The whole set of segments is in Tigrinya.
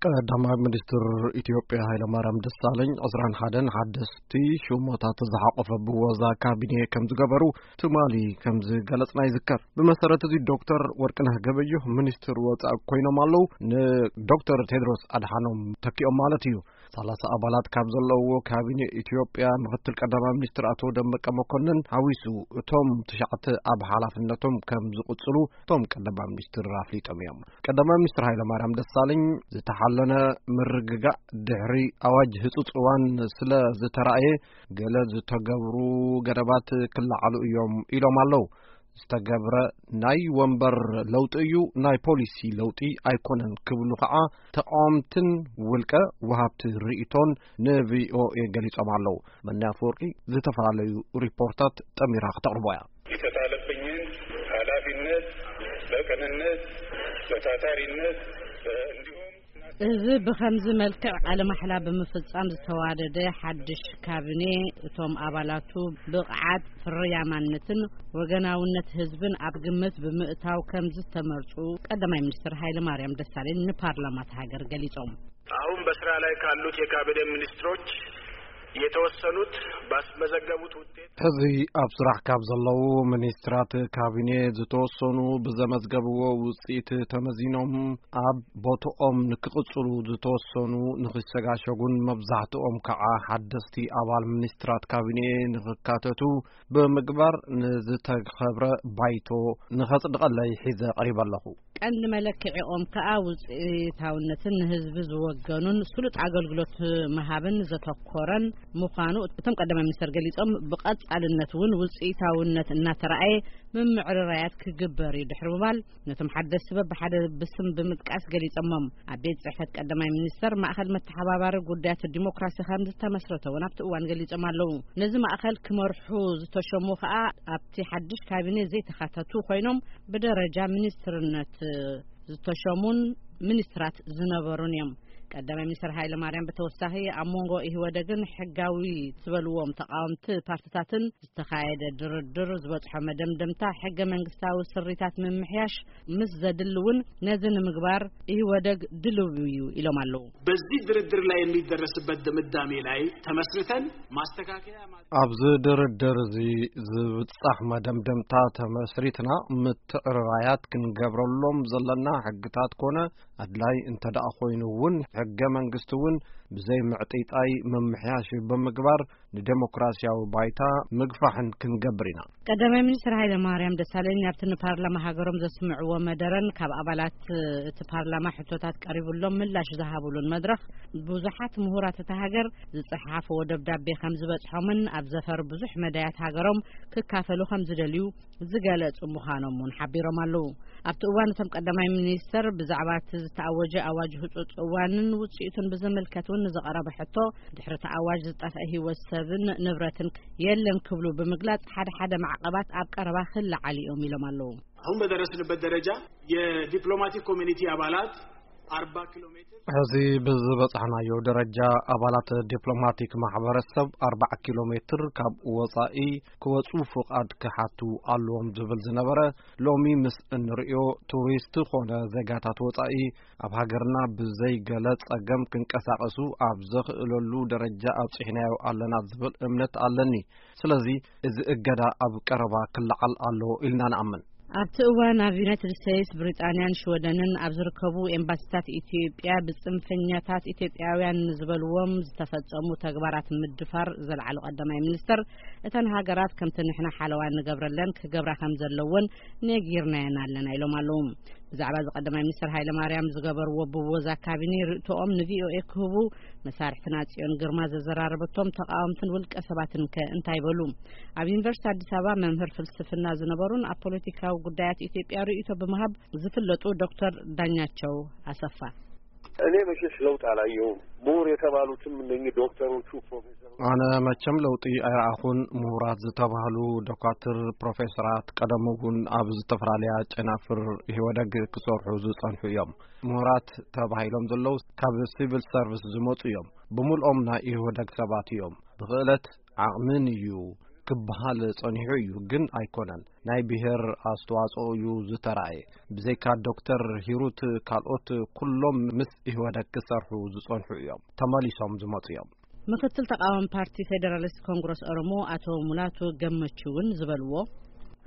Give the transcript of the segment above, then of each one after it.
ቀዳማይ ሚኒስትር ኢትዮጵያ ሃይለማርያም ደሳለኝ ዕስራን ሓደን ሓደስቲ ሹመታት ዝሓቆፈ ብወዛ ካቢኔ ከም ዝገበሩ ትማሊ ከም ዝገለጽና ይዝከር። ብመሰረት እዚ ዶክተር ወርቅነህ ገበየሁ ሚኒስትር ወጻኢ ኮይኖም ኣለዉ። ንዶክተር ቴድሮስ ኣድሓኖም ተኪኦም ማለት እዩ። ሰላሳ ኣባላት ካብ ዘለውዎ ካቢኔ ኢትዮጵያ ምክትል ቀዳማይ ሚኒስትር ኣቶ ደመቀ መኮንን ሓዊሱ እቶም ትሽዓተ ኣብ ሓላፍነቶም ከም ዝቕጽሉ እቶም ቀዳማይ ሚኒስትር ኣፍሊጦም እዮም። ቀዳማይ ሚኒስትር ሃይለማርያም ደሳለኝ ዝተሓለነ ምርግጋእ ድሕሪ ኣዋጅ ህጹጽ እዋን ስለ ዝተራእየ ገለ ዝተገብሩ ገደባት ክለዓሉ እዮም ኢሎም ኣለዉ። ዝተገብረ ናይ ወንበር ለውጢ እዩ፣ ናይ ፖሊሲ ለውጢ ኣይኮነን ክብሉ ከዓ ተቃወምትን ውልቀ ወሃብቲ ርእይቶን ን ቪ ኦ ኤ ገሊጾም ኣለዉ። መኒ ኣፈወርቂ ዝተፈላለዩ ሪፖርታት ጠሚራ ክተቕርቦ እያ። የተጣለብኝን ኃላፊነት በቅንነት በታታሪነት እንዲሁም እዚ ብኸምዚ መልክዕ ቃለ ማሕላ ብምፍጻም ዝተዋደደ ሓድሽ ካቢኔ፣ እቶም ኣባላቱ ብቕዓት፣ ፍርያማነትን ወገናውነት ህዝብን ኣብ ግምት ብምእታው ከም ዝተመርጹ ቀዳማይ ሚኒስትር ሃይለ ማርያም ደሳለኝ ንፓርላማ እታ ሃገር ገሊጾም። አሁን በስራ ላይ ካሉት የካቢኔ ሚኒስትሮች የተወሰኑት ባስመዘገቡት ውጤት ሕዚ ኣብ ስራሕ ካብ ዘለዉ ሚኒስትራት ካቢኔ ዝተወሰኑ ብዘመዝገብዎ ውፅኢት ተመዚኖም ኣብ ቦትኦም ንክቕፅሉ፣ ዝተወሰኑ ንክሸጋሸጉን መብዛሕትኦም ከዓ ሓደስቲ ኣባል ሚኒስትራት ካቢኔ ንክካተቱ ብምግባር ንዝተኸብረ ባይቶ ንኸጽድቐለይ ሒዘ ቀሪበ ኣለኹ። ቀንዲ መለክዒኦም ከኣ ውጽኢታውነትን ንህዝቢ ዝወገኑን ስሉጥ ኣገልግሎት ምሃብን ዘተኮረን ምዃኑ እቶም ቀዳማይ ሚኒስተር ገሊጾም፣ ብቐጻልነት እውን ውጽኢታውነት እናተራእየ ምምዕርራያት ክግበር እዩ ድሕሪ ምባል፣ ነቶም ሓደስቲ በብሓደ ብስም ብምጥቃስ ገሊጾሞም። ኣብ ቤት ጽሕፈት ቀዳማይ ሚኒስተር ማእኸል መተሓባባሪ ጉዳያት ዲሞክራሲ ከም ዝተመስረተ እውን ኣብቲ እዋን ገሊጾም ኣለዉ። ነዚ ማእኸል ክመርሑ ዝተሸሙ ከኣ ኣብቲ ሓድሽ ካቢኔ ዘይተኻተቱ ኮይኖም ብደረጃ ሚኒስትርነት ዝተሸሙን ሚኒስትራት ዝነበሩን እዮም። ቀዳማይ ሚኒስትር ሃይለ ማርያም ብተወሳኺ ኣብ መንጎ ኢህወደግን ሕጋዊ ዝበልዎም ተቃወምቲ ፓርትታትን ዝተኻየደ ድርድር ዝበጽሖ መደምደምታ ሕገ መንግስታዊ ስሪታት ምምሕያሽ ምስ ዘድሊ እውን ነዚ ንምግባር ኢህወደግ ድልው እዩ ኢሎም ኣለዉ። በዚህ ድርድር ላይ የሚደረስበት ድምዳሜ ላይ ተመስርተን ማስተካከያ ማ- ኣብዚ ድርድር እዚ ዝብጻሕ መደምደምታ ተመስሪትና ምትዕርራያት ክንገብረሎም ዘለና ሕግታት ኮነ ኣድላይ እንተ ደኣ ኮይኑ እውን ሕገ መንግስቲ እውን ብዘይ ምዕጢጣይ ምምሕያሽ ብምግባር ንዴሞክራሲያዊ ባይታ ምግፋሕን ክንገብር ኢና። ቀዳማይ ሚኒስትር ሃይለ ማርያም ደሳለኝ ኣብቲ ንፓርላማ ሃገሮም ዘስምዕዎ መደረን ካብ ኣባላት እቲ ፓርላማ ሕቶታት ቀሪቡሎም ምላሽ ዝሃብሉን መድረኽ ብዙሓት ምሁራት እታ ሃገር ዝጸሓፍዎ ደብዳቤ ከም ዝበጽሖምን ኣብ ዘፈር ብዙሕ መዳያት ሃገሮም ክካፈሉ ከም ዝደልዩ ዝገለጹ ምዃኖም እውን ሓቢሮም ኣለዉ። ኣብቲ እዋን እቶም ቀዳማይ ሚኒስተር ብዛዕባ እቲ ዝተኣወጀ ኣዋጅ ህጹጽ እዋንን ውጽኢቱን ብዝምልከት እውን ንዝቐረበ ሕቶ፣ ድሕሪ እቲ ኣዋጅ ዝጠፍአ ህይወት ሰብን ንብረትን የለን ክብሉ ብምግላጽ፣ ሓደ ሓደ ማዕቐባት ኣብ ቀረባ ክለዓሉ እዮም ኢሎም ኣለዉ። አሁን በደረስንበት ደረጃ የዲፕሎማቲክ ኮሚኒቲ አባላት አርባ ኪሎ ሜትር ሕዚ ብዝበጻሕናዮ ደረጃ ኣባላት ዲፕሎማቲክ ማሕበረሰብ ኣርባዓ ኪሎ ሜትር ካብ ወጻኢ ክወጹ ፍቓድ ክሓቱ ኣለዎም ዝብል ዝነበረ፣ ሎሚ ምስ እንርእዮ ቱሪስት ኾነ ዜጋታት ወጻኢ ኣብ ሃገርና ብዘይ ገለ ጸገም ክንቀሳቐሱ ኣብ ዘኽእለሉ ደረጃ ኣብጺሕናዮ ኣለና ዝብል እምነት ኣለኒ። ስለዚ እዚ እገዳ ኣብ ቀረባ ክለዓል ኣለዎ ኢልና ንኣምን። ኣብቲ እዋን ኣብ ዩናይትድ ስቴትስ፣ ብሪጣንያን ሽወደንን ኣብ ዝርከቡ ኤምባሲታት ኢትዮጵያ ብጽንፈኛታት ኢትዮጵያውያን ንዝበልዎም ዝተፈጸሙ ተግባራት ምድፋር ዘልዓሉ ቀዳማይ ሚኒስተር፣ እተን ሃገራት ከምቲ ንሕና ሓለዋ ንገብረለን ክገብራ ከም ዘለወን ነጊርናየን ኣለና ኢሎም ኣለዉ። ብዛዕባ እዚ ቀዳማይ ሚኒስተር ሃይለ ማርያም ዝገበርዎ ብወዛ ካቢኔ ርእቶኦም ንቪኦኤ ክህቡ መሳርሕትና ጽዮን ግርማ ዘዘራረበቶም ተቃወምትን ውልቀ ሰባትን ከ እንታይ በሉ? ኣብ ዩኒቨርሲቲ ኣዲስ ኣበባ መምህር ፍልስፍና ዝነበሩን ኣብ ፖለቲካዊ ጉዳያት ኢትዮጵያ ርእይቶ ብምሃብ ዝፍለጡ ዶክተር ዳኛቸው ኣሰፋ። እኔ መቼስ ለውጥ አላየሁም። ምሁር የተባሉትም እነኚህ ዶክተሮቹ፣ ፕሮፌሰሮች አነ መቸም ለውጢ ኣይረኣኹን። ምሁራት ዝተባህሉ ዶካትር፣ ፕሮፌሰራት ቀደም እውን ኣብ ዝተፈላለያ ጨናፍር ኢህወደግ ክሰርሑ ዝጸንሑ እዮም። ምሁራት ተባሂሎም ዘለዉ ካብ ሲቪል ሰርቪስ ዝመጹ እዮም። ብምልኦም ናይ ኢህወደግ ሰባት እዮም። ብኽእለት ዓቕምን እዩ ክበሃል ጸኒሑ እዩ፣ ግን ኣይኮነን። ናይ ብሔር ኣስተዋጽኦ እዩ ዝተራእየ። ብዘይካ ዶክተር ሂሩት ካልኦት ኩሎም ምስ ኢህወደግ ክሰርሑ ዝጸንሑ እዮም፣ ተመሊሶም ዝመጹ እዮም። ምክትል ተቃዋሚ ፓርቲ ፌዴራሊስት ኮንግረስ ኦሮሞ ኣቶ ሙላቱ ገመቹ እውን ዝበልዎ፣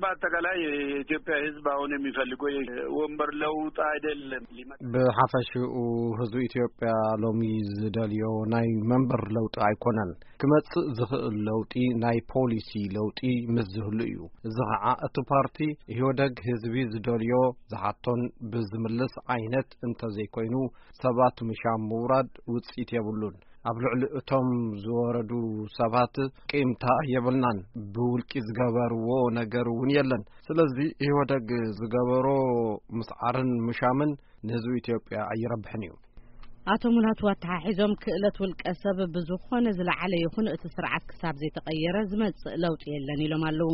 በአጠቃላይ የኢትዮጵያ ሕዝብ አሁን የሚፈልገው ወንበር ለውጥ አይደለም። ብሓፈሽኡ ህዝቢ ኢትዮጵያ ሎሚ ዝደልዮ ናይ መንበር ለውጢ ኣይኮነን። ክመጽእ ዝኽእል ለውጢ ናይ ፖሊሲ ለውጢ ምስ ዝህሉ እዩ። እዚ ኸዓ እቲ ፓርቲ ኢህወደግ ህዝቢ ዝደልዮ ዝሓቶን ብዝምልስ ዓይነት እንተዘይኮይኑ ሰባት ምሻም ምውራድ ውጽኢት የብሉን። ኣብ ልዕሊ እቶም ዝወረዱ ሰባት ቂምታ የብልናን። ብውልቂ ዝገበርዎ ነገር እውን የለን። ስለዚ ኢህወደግ ዝገበሮ ምስዓርን ምሻምን ንህዝቢ ኢትዮጵያ ኣይረብሕን እዩ። ኣቶ ሙላቱ ኣተሓሒዞም፣ ክእለት ውልቀ ሰብ ብዝኾነ ዝለዓለ ይኹን እቲ ስርዓት ክሳብ ዘይተቐየረ ዝመጽእ ለውጢ የለን ኢሎም ኣለዉ።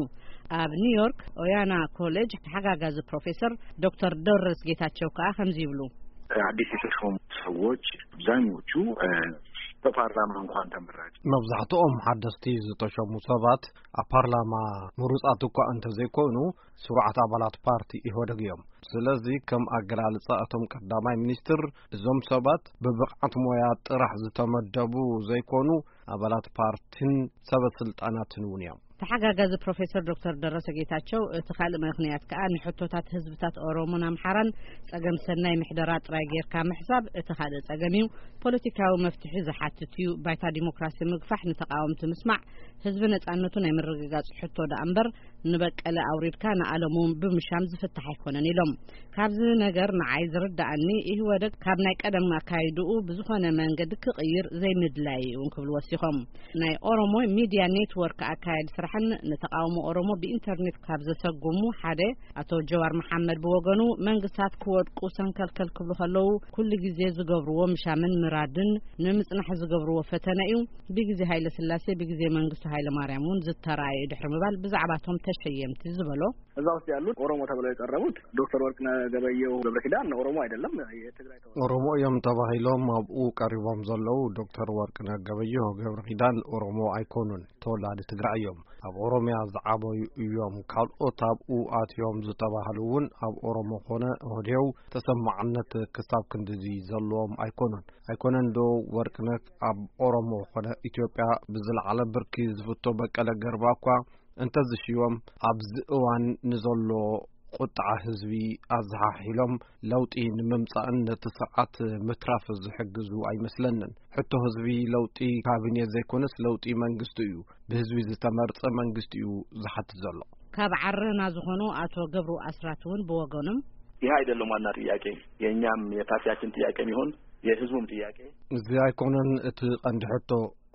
ኣብ ኒውዮርክ ኦያና ኮሌጅ ተሓጋጋዚ ፕሮፌሰር ዶክተር ደረስ ጌታቸው ከኣ ከምዚ ይብሉ። አዲስ የተሾሙ ሰዎች አብዛኞቹ በፓርላማ እንኳን ተመራጭ፣ መብዛሕትኦም ሓደስቲ ዝተሾሙ ሰባት ኣብ ፓርላማ ምሩጻት እኳ እንተዘይኮኑ፣ ስሩዓት ኣባላት ፓርቲ ኢህወደግ እዮም። ስለዚ ከም ኣገላልጻ እቶም ቀዳማይ ሚኒስትር፣ እዞም ሰባት ብብቕዓት ሞያ ጥራሕ ዝተመደቡ ዘይኮኑ፣ ኣባላት ፓርቲን ሰበ ስልጣናትን እውን እዮም። ተሓጋጋዚ ፕሮፌሰር ዶክተር ደረሰ ጌታቸው፣ እቲ ካልእ ምኽንያት ከኣ ንሕቶታት ህዝብታት ኦሮሞን ኣምሓራን ጸገም ሰናይ ምሕደራ ጥራይ ጌርካ ምሕሳብ እቲ ካልእ ጸገም እዩ። ፖለቲካዊ መፍትሒ ዝሓትት እዩ። ባይታ ዲሞክራሲ ምግፋሕ፣ ንተቃወምቲ ምስማዕ፣ ህዝቢ ነጻነቱ ናይ ምርግጋጽ ሕቶ ደኣ እምበር፣ ንበቀለ ኣውሪድካ ንኣለሙ ብምሻም ዝፍታሕ ኣይኮነን ኢሎም። ካብዚ ነገር ንዓይ ዝርድኣኒ፣ ኢህወደግ ካብ ናይ ቀደም ኣካይድኡ ብዝኾነ መንገዲ ክቕይር ዘይምድላይ እውን ክብሉ ወሲኾም። ናይ ኦሮሞ ሚድያ ኔትወርክ ኣካያዲ ስራሕን ንተቃውሞ ኦሮሞ ብኢንተርኔት ካብ ዘሰጉሙ ሓደ ኣቶ ጀዋር መሓመድ ብወገኑ፣ መንግስታት ክወድቁ ሰንከልከል ክብሉ ከለዉ ኩሉ ግዜ ዝገብርዎ ምሻምን ምራድን ንምጽናሕ ዝገብርዎ ፈተነ እዩ። ብግዜ ሃይለ ስላሴ፣ ብግዜ መንግስቱ ሃይለ ማርያም እውን ዝተራእየ ድሕሪ ምባል ብዛዕባቶም ተሸየምቲ ዝበሎ። እዛ ውስጥ ያሉት ኦሮሞ ተብለው የቀረቡት ዶክተር ወርቅነህ ገበየሁ ገብረ ኪዳን ኦሮሞ አይደለም፣ የትግራይ ተወላጅ። ኦሮሞ እዮም ተባሂሎም ኣብኡ ቀሪቦም ዘለዉ ዶክተር ወርቅነህ ገበየሁ ገብረ ኪዳን ኦሮሞ ኣይኮኑን፣ ተወላዲ ትግራይ እዮም። ኣብ ኦሮሚያ ዝዓበዩ እዮም። ካልኦት ኣብኡ ኣትዮም ዝተባህሉ እውን ኣብ ኦሮሞ ኮነ ኦህዴው ተሰማዕነት ክሳብ ክንድዚ ዘለዎም ኣይኮኑን። ኣይኮነን ዶ ወርቅነህ ኣብ ኦሮሞ ኮነ ኢትዮጵያ ብዝለዓለ ብርኪ ዝፍቶ በቀለ ገርባ እኳ እንተዝሽዮም፣ ኣብዚ እዋን ንዘሎ ቁጥዓ ህዝቢ ኣዘሓሒሎም ለውጢ ንምምጻእን ነቲ ስርዓት ምትራፍ ዝሕግዙ ኣይመስለንን። ሕቶ ህዝቢ ለውጢ ካቢኔ ዘይኮነስ ለውጢ መንግስቲ እዩ። ብህዝቢ ዝተመርጸ መንግስቲ እዩ ዝሓትት ዘሎ። ካብ ዓረና ዝኾኑ ኣቶ ገብሩ ኣስራት እውን ብወገኖም፣ ይህ አይደለም ዋና ጥያቄ፣ የእኛም የፓርቲያችን ጥያቄም ይሁን የህዝቡም ጥያቄ። እዚ ኣይኮነን እቲ ቀንዲ ሕቶ።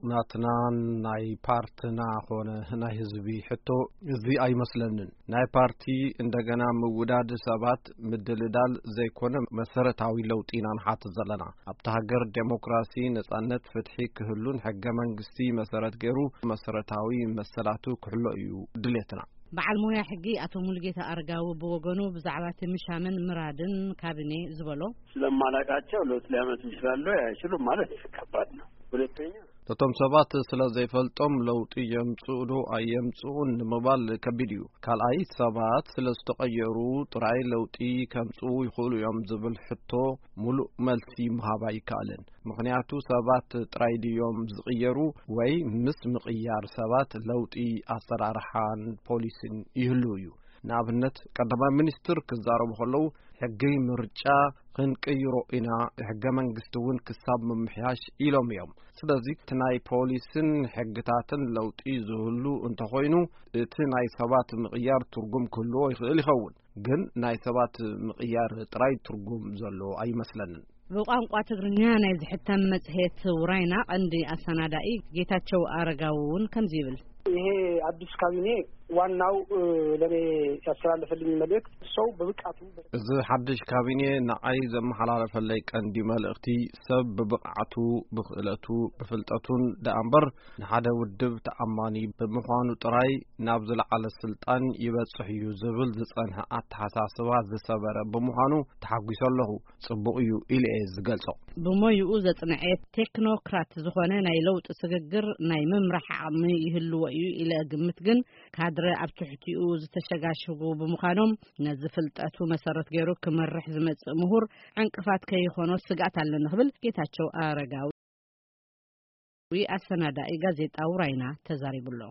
ናትናን ናይ ፓርትና ኾነ ናይ ህዝቢ ሕቶ እዚ ኣይመስለንን። ናይ ፓርቲ እንደገና ምውዳድ ሰባት ምድልዳል ዘይኮነ መሰረታዊ ለውጢ ኢና ንሓትት ዘለና። ኣብታ ሃገር ዴሞክራሲ፣ ነጻነት፣ ፍትሒ ክህሉን ሕገ መንግስቲ መሰረት ገይሩ መሰረታዊ መሰላቱ ክሕሎ እዩ ድሌትና። በዓል ሞያ ሕጊ ኣቶ ሙሉጌታ ኣረጋዊ ብወገኑ ብዛዕባ እቲ ምሻምን ምራድን ካቢኔ ዝበሎ፣ ስለማላቃቸው ለውጥ ሊያመጡ ይችላሉ አይችሉም ማለት ከባድ ነው። ሁለተኛ፣ ነቶም ሰባት ስለ ዘይፈልጦም ለውጢ የምጽኡ ዶ ኣየምጽኡን ንምባል ከቢድ እዩ። ካልኣይ፣ ሰባት ስለ ዝተቐየሩ ጥራይ ለውጢ ከምጽኡ ይኽእሉ እዮም ዝብል ሕቶ ሙሉእ መልሲ ምሃብ ኣይከኣልን። ምኽንያቱ ሰባት ጥራይ ድዮም ዝቕየሩ ወይ ምስ ምቕያር ሰባት ለውጢ ኣሰራርሓን ፖሊሲን ይህሉ እዩ። ንኣብነት ቀዳማይ ሚኒስትር ክዛረቡ ከለዉ ሕጊ ምርጫ ክንቅይሮ ኢና፣ ሕገ መንግስቲ እውን ክሳብ ምምሕያሽ ኢሎም እዮም። ስለዚ እቲ ናይ ፖሊስን ሕግታትን ለውጢ ዝህሉ እንተኾይኑ እቲ ናይ ሰባት ምቕያር ትርጉም ክህልዎ ይኽእል ይኸውን። ግን ናይ ሰባት ምቕያር ጥራይ ትርጉም ዘሎ ኣይመስለንን። ብቋንቋ ትግርኛ ናይ ዝሕተም መጽሔት ውራይና ቀንዲ ኣሰናዳኢ ጌታቸው ኣረጋዊ እውን ከምዚ ይብል። ይሄ አዲስ ካቢኔ ዋናው ለኔ ያስተላለፈልኝ መልእክት ሰው በብቃቱ እዚ ሓድሽ ካቢኔ ንዓይ ዘመሓላለፈለይ ቀንዲ መልእኽቲ፣ ሰብ ብብቕዓቱ፣ ብኽእለቱ፣ ብፍልጠቱን ደኣ እምበር፣ ንሓደ ውድብ ተኣማኒ ብምዃኑ ጥራይ ናብ ዝለዓለ ስልጣን ይበጽሕ እዩ ዝብል ዝጸንሐ ኣተሓሳስባ ዝሰበረ ብምዃኑ ተሓጒሰ ኣለኹ። ጽቡቕ እዩ ኢለ እየ ዝገልጾ። ብሞይኡ ዘጽንዐ ቴክኖክራት ዝኾነ ናይ ለውጢ ስግግር ናይ ምምራሕ ዓቕሚ ይህልዎ እዩ ኢለ እግምት፣ ግን ካድረ ኣብ ትሕቲኡ ዝተሸጋሸጉ ብምዃኖም፣ ነዚ ፍልጠቱ መሰረት ገይሩ ክመርሕ ዝመጽእ ምሁር ዕንቅፋት ከይኾኖ ስግኣት ኣለኒ ክብል ጌታቸው ኣረጋዊ ኣሰናዳኢ ጋዜጣ ውራይና ተዛሪቡ ኣሎ።